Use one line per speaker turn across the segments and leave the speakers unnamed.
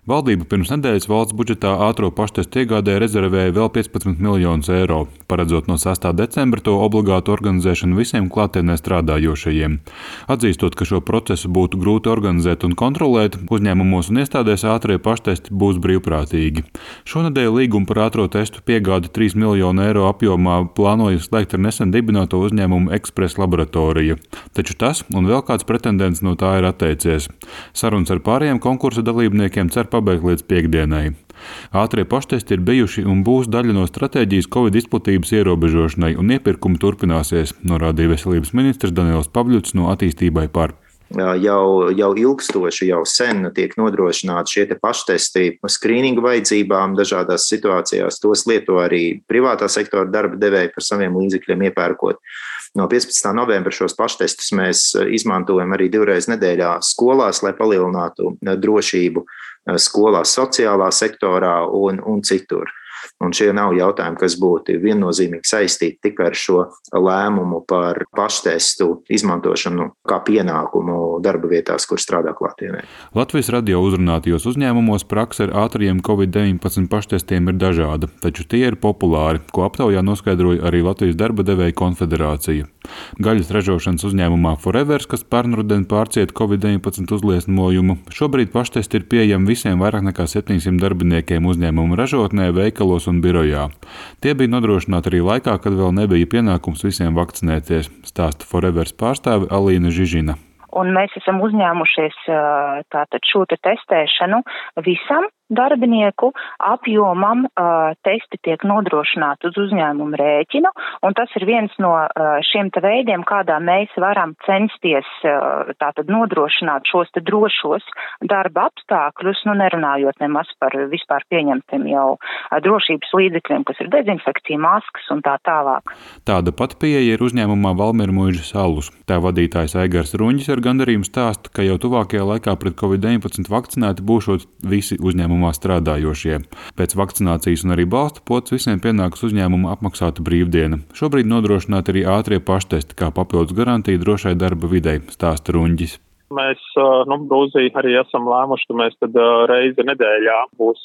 Valdība pirms nedēļas valsts budžetā ātro paštestu iegādē rezervēja vēl 15 miljonus eiro, paredzot no 6. decembra to obligātu organizēšanu visiem klātienē strādājošajiem. Atzīstot, ka šo procesu būtu grūti organizēt un kontrolēt, uzņēmumos un iestādēs ātrie paštesti būs brīvprātīgi. Šonedēļ līgumu par ātro testu piegādi 3 miljonu eiro apjomā plānoja slēgt ar nesen dibināto uzņēmumu Express Laboratorija. Taču tas un vēl kāds pretendents no tā ir atteicies. Sarunas ar pārējiem konkursa dalībniekiem cer pabeigt līdz piektdienai. Ātrie paštesti ir bijuši un būs daļa no stratēģijas Covid izplatības ierobežošanai un iepirkumi turpināsies, norādīja veselības ministrs Daniels Pavļuts no Attīstībai par.
Jau ilgstoši, jau sen tiek nodrošināti šie paštesti skrīninga vajadzībām dažādās situācijās. Tos lieto arī privātā sektora darba devēji par saviem līdzekļiem iepērkot. No 15. novembra šos paštestus mēs izmantojam arī 2 reizes nedēļā skolās, lai palielinātu drošību skolās, sociālā sektorā un citur. Un šie nav jautājumi, kas būtu viennozīmīgi saistīti tikai ar šo lēmumu par paštestu izmantošanu kā pienākumu darba vietās, kur strādā klātienē.
Latvijas radio uzrunātajos uzņēmumos prakse ar ātriem Covid-19 paštestiem ir dažāda, taču tie ir populāri, ko aptaujā noskaidroja arī Latvijas darba devēju konfederācija. Gaļas ražošanas uzņēmumā Forevers, kas pērnruden pārcieta Covid-19 uzliesmojumu, šobrīd paštesti ir pieejami visiem vairāk nekā 700 darbiniekiem uzņēmumu ražotnē, veikalos un birojā. Tie bija nodrošināti arī laikā, kad vēl nebija pienākums visiem vakcinēties, stāsta Forevers pārstāve Alīna Žižina.
Un mēs esam uzņēmušies tātad šo testēšanu visam darbinieku apjomam. Testi tiek nodrošināti uz uzņēmumu rēķinu, un tas ir viens no šiem veidiem, kādā mēs varam censties tātad nodrošināt šos drošos darba apstākļus, nerunājot nemaz par vispār pieņemtiem jau drošības līdzekļiem, kas ir dezinfekcija, maskas un tā tālāk.
Tāda pat pieeja ir uzņēmumā Valmiera Muižas alus. Tā vadītājs Aigars Ruņģis ar gandarījumu stāsta, ka jau tuvākajā laikā pret Covid-19 vakcinēti būšot visi uzņēmumā strādājošie. Pēc vakcinācijas un arī balsta potes visiem pienāks uzņēmuma apmaksāta brīvdiena. Šobrīd nodrošināti arī ātrie paštesti kā papildus garantija drošai darba videi, stāsta Ruņģis.
Mēs Brūzī arī esam lēmuši, ka mēs tad reizi nedēļā būs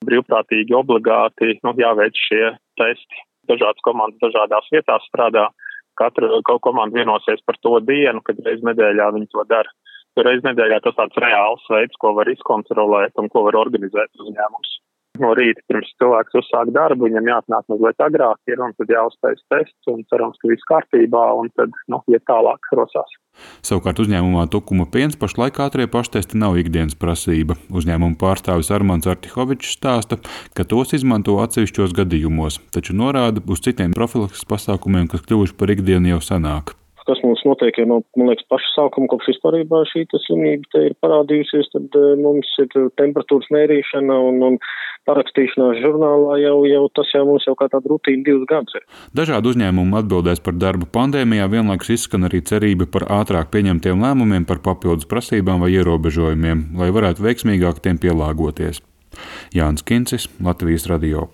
brīvprātīgi obligāti jāveic šie testi. Dažādas komandas dažādās vietās strādā. Katra komanda vienosies par to dienu, kad reizi nedēļā viņi to dara. Reiz nedēļā tas tāds reāls veids, ko var izkontrolēt un ko var organizēt uzņēmums. No rīta pirms cilvēks uzsāk darbu, viņam jāatnāk mazliet agrāk un tad jāuztais tests un cerams, ka viss kārtībā un tad iet tālāk rosās.
Savukārt uzņēmumā Tukuma piens pašlaik ātrie paštesti nav ikdienas prasība. Uzņēmuma pārstāvis Armands Artihovičs stāsta, ka tos izmanto atsevišķos gadījumos, taču norāda uz citiem profilakses pasākumiem, kas kļuvuši par ikdienu jau senāk.
Kas mums notiek jau no, paša sākuma, kopš vispārībā šī slimība te ir parādījusies, tad mums ir temperatūras mērīšana un parakstīšanās žurnālā jau tas mums kā tāda rutīna 2 gadus ir.
Dažādi uzņēmumi atbildēs par darbu pandēmijā, vienlaikus izskan arī cerība par ātrāk pieņemtiem lēmumiem par papildus prasībām vai ierobežojumiem, lai varētu veiksmīgāk tiem pielāgoties. Jānis Kincis, Latvijas radio.